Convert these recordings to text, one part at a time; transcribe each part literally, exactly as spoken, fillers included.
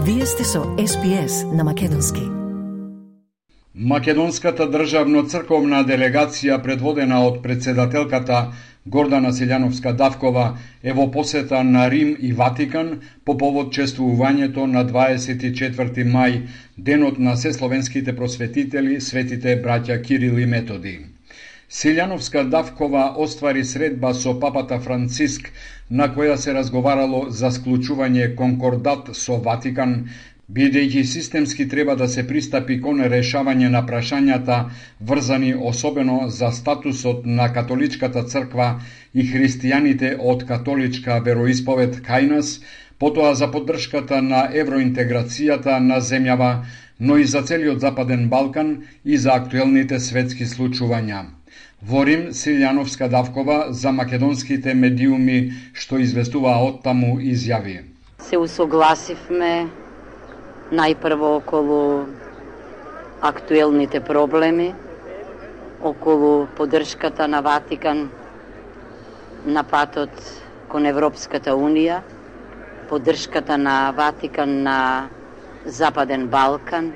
Вие сте со Ес Би Ес на македонски. Македонската државно-црковна делегација, предводена од председателката Гордана Силјановска-Давкова, е во посета на Рим и Ватикан по повод чествувањето на дваесет и четврти мај, денот на сесловенските просветители, светите браќа Кирил и Методи. Силјановска-Давкова оствари средба со папата Франциск, на која се разговарало за склучување конкордат со Ватикан, бидејќи системски треба да се пристапи кон решавање на прашањата врзани особено за статусот на католичката црква и христијаните од католичка вероисповед кај нас, потоа за поддршката на евроинтеграцијата на земјава, но и за целиот Западен Балкан и за актуелните светски случувања. Во Рим, Силјановска-Давкова за македонските медиуми што известуваа оттаму изјави: Се усогласивме најпрво околу актуелните проблеми, околу поддршката на Ватикан на патот кон Европската Унија, поддршката на Ватикан на Западен Балкан.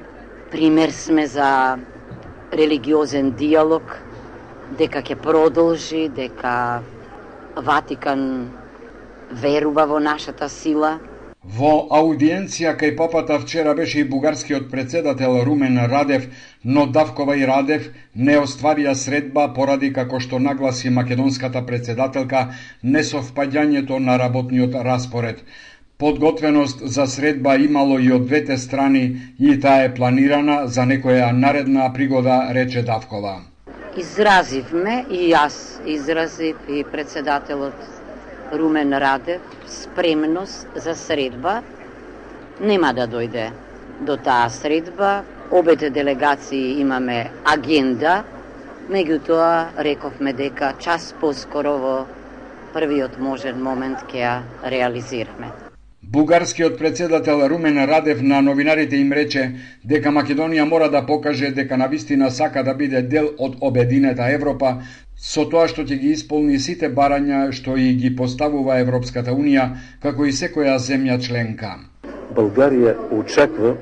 Пример сме за религиозен диалог, дека ќе продолжи, дека Ватикан верува во нашата сила. Во аудиенција кај папата вчера беше и бугарскиот председател Румен Радев, но Давкова и Радев не остварија средба поради, како што нагласи македонската председателка, несовпаѓањето на работниот распоред. Подготвеност за средба имало и од двете страни и таа е планирана за некоја наредна пригода, рече Давкова. Изразивме, и јас изразив, и председателот Румен Радев, спремност за средба. Нема да дојде до таа средба. Обете делегации имаме агенда, меѓутоа рековме дека час поскоро во првиот можен момент ќе ја реализираме. Бугарскиот председател Румен Радев на новинарите им рече дека Македонија мора да покаже дека навистина сака да биде дел од обединета Европа, со тоа што ќе ги исполни сите барања што и ги поставува Европската Унија, како и секоја земја членка. Българија очекува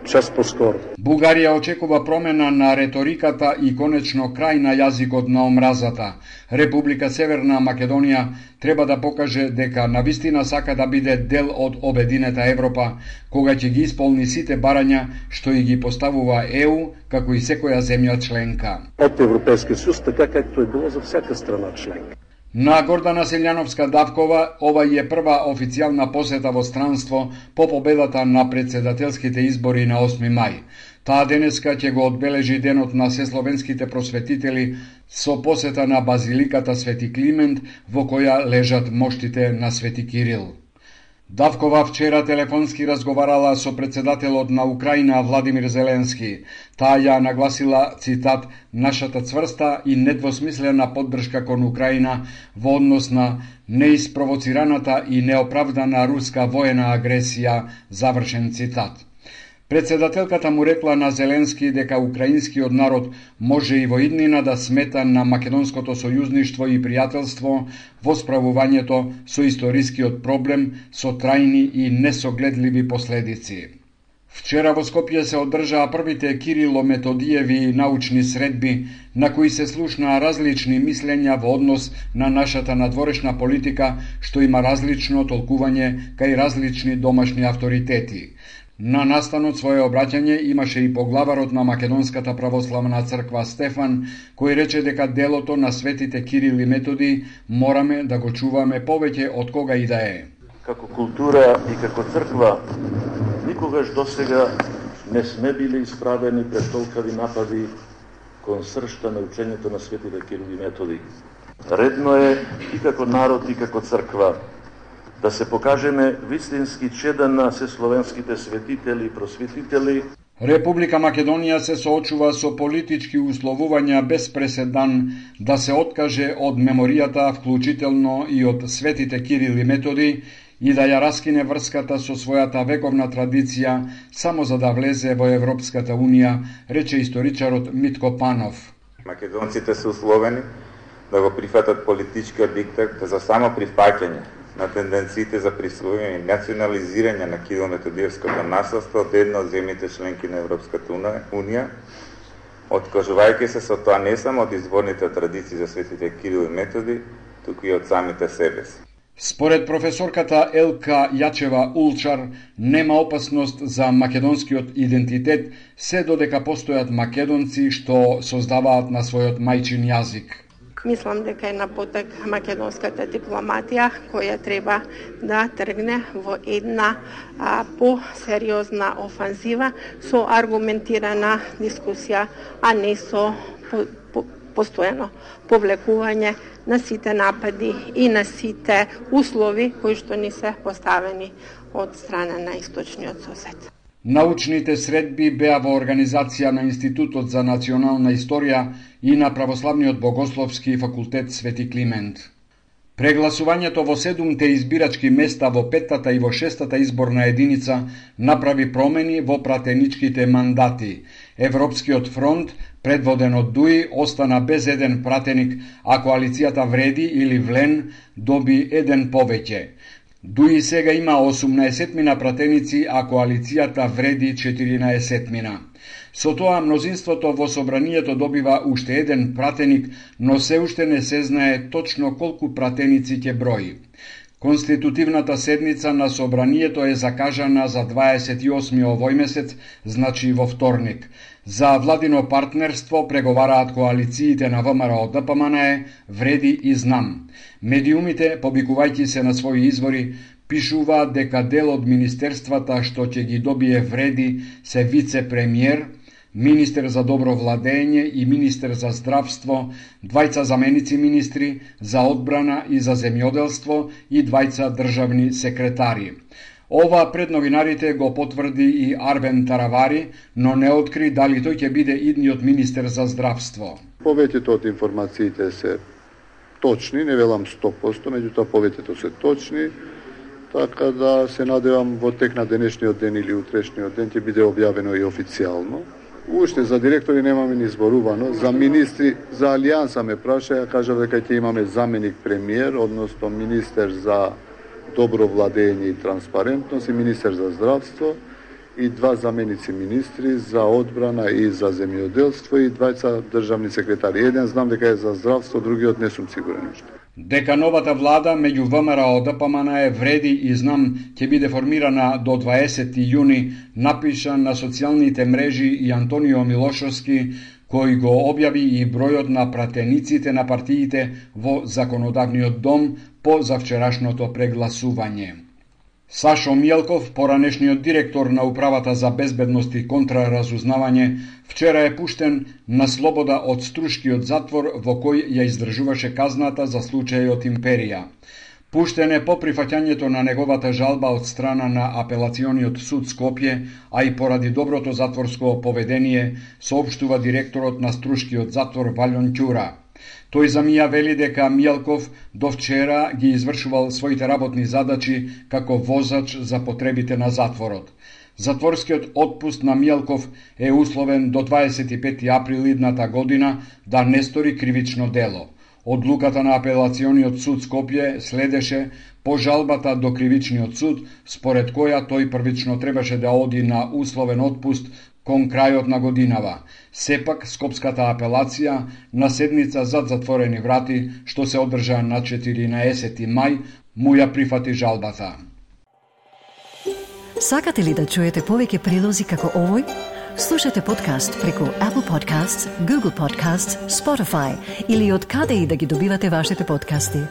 час поскоро. Бугарија очекува промена на реториката и конечно крај на јазикот на омразата. Република Северна Македонија треба да покаже дека навистина сака да биде дел од обединета Европа, кога ќе ги исполни сите барања што и ги поставува Е У, како и секоја земја членка. Од Европскиот сојуз, така както е било за всяка страна членка. На Гордана Силјановска-Давкова ова е прва официјална посета во странство по победата на председателските избори на осми мај. Таа денеска ќе го одбележи денот на сесловенските просветители со посета на базиликата Свети Климент, во која лежат моштите на Свети Кирил. Давкова вчера телефонски разговарала со председателот на Украина Владимир Зеленски. Таа ја нагласила, цитат, нашата цврста и недвосмислена поддршка кон Украина во однос на неиспровоцираната и неоправдана руска воена агресија, завршен цитат. Председателката му рекла на Зеленски дека украинскиот народ може и во иднина да смета на македонското сојузништво и пријателство во справувањето со историскиот проблем со трајни и несогледливи последици. Вчера во Скопје се одржаа првите Кирило-Методиеви научни средби, на кои се слушнаа различни мислења во однос на нашата надворешна политика, што има различно толкување кај различни домашни авторитети. На настанот своје обраќање имаше и поглаварот на Македонската православна црква Стефан, кој рече дека делото на светите Кирил и Методи мораме да го чуваме повеќе од кога и да е. Како култура и како црква никогаш досега не сме били исправени пред толкави напади кон сршта на учењето на светите Кирил и Методи. Редно е и како народ и како црква да се покажеме вистински чеда на сесловенските светители и просветители. Република Македонија се соочува со политички условувања без преседан да се откаже од меморијата, вклучително и од светите Кирил и Методи, и да ја раскине врската со својата вековна традиција само за да влезе во Европската Унија, рече историчарот Митко Панов. Македонците се условени да го прифатат политичкиот диктат за само прифаќање на тенденциите за присвојување и национализирање на Кирило-Методиевското наследство од една од земјите членки на Европската унија, откажувајќи се со тоа не само од изворните традиции за светите Кирил и Методи, туку и од самите себе си. Според професорката Елка Јачева-Улчар, нема опасност за македонскиот идентитет, се додека постојат македонци што создаваат на својот мајчин јазик. Мислам дека е на потек македонската дипломатија која треба да тргне во една а, по-сериозна офанзива со аргументирана дискусија, а не со по, по, постојано повлекување на сите напади и на сите услови кои што ни се поставени од страна на источниот сосед. Научните средби беа во организација на Институтот за национална историја и на Православниот богословски факултет Свети Климент. Прегласувањето во седумте избирачки места во петтата и во шестата изборна единица направи промени во пратеничките мандати. Европскиот фронт, предводен од ДУИ, остана без еден пратеник, а коалицијата Вреди или Влен доби еден повеќе. ДУИ сега има осумнаесет мина пратеници, а коалицијата Вреди четиринаесет мина. Со тоа мнозинството во собранието добива уште еден пратеник, но се уште не се знае точно колку пратеници ќе брои. Конститутивната седница на собранието е закажана за дваесет и осми овој месец, значи во вторник. За владино партнерство преговараат коалициите на ВМРО ДПМНЕ, Вреди и Знам. Медиумите, побикувајќи се на своји извори, пишуваат дека дел од министерствата што ќе ги добие Вреди се вице-премиер, министер за добро владење и министер за здравство, двајца заменици министри за одбрана и за земјоделство и двајца државни секретари. Ова пред новинарите го потврди и Арвен Таравари, но не откри дали тој ќе биде идниот министер за здравство. Повеќето од информациите се точни, не велам сто проценти, меѓутоа повеќето се точни, така да се надевам во тек на денешниот ден или утрешниот ден ќе биде објавено и официјално. Уште за директори немаме ни зборувано, за министри, за Алијанса ме праша, ја кажа дека ќе имаме заменик премиер, односно министер за добро владење и транспарентност и министер за здравство и два заменици министри за одбрана и за земјоделство и двајца државни секретари. Еден знам дека е за здравство, другиот не сум сигурен уште. Дека новата влада меѓу ВМРО ДПМНЕ, Вреди и Знам ќе биде формирана до дваесети јуни, напиша на социјалните мрежи и Антонио Милошовски, кој го објави и бројот на пратениците на партиите во Законодавниот дом по завчерашното прегласување. Сашо Мјелков, поранешниот директор на Управата за безбедност и контраразузнавање, вчера е пуштен на слобода од Струшкиот затвор во кој ја издржуваше казната за случајот Империја. Пуштен е по прифаќањето на неговата жалба од страна на Апелациониот суд Скопје, а и поради доброто затворско поведение, соопштува директорот на Струшкиот затвор Валјон Ќура. Тој за мија вели дека Мјелков до вчера ги извршувал своите работни задачи како возач за потребите на затворот. Затворскиот отпуст на Мјелков е условен до дваесет и пети април идната година да не стори кривично дело. Одлуката на Апелациониот суд Скопје следеше по жалбата до Кривичниот суд, според која тој првично требаше да оди на условен отпуст кон крајот на годинава. Сепак, Скопската апелација на седница зад затворени врати, што се одржа на четиринаесети мај, му ја прифати жалбата. Сакате ли да чуете повеќе прилози како овој? Слушате подкаст преку Apple Podcasts, Google Podcasts, Spotify или од каде и да ги добивате вашите подкасти.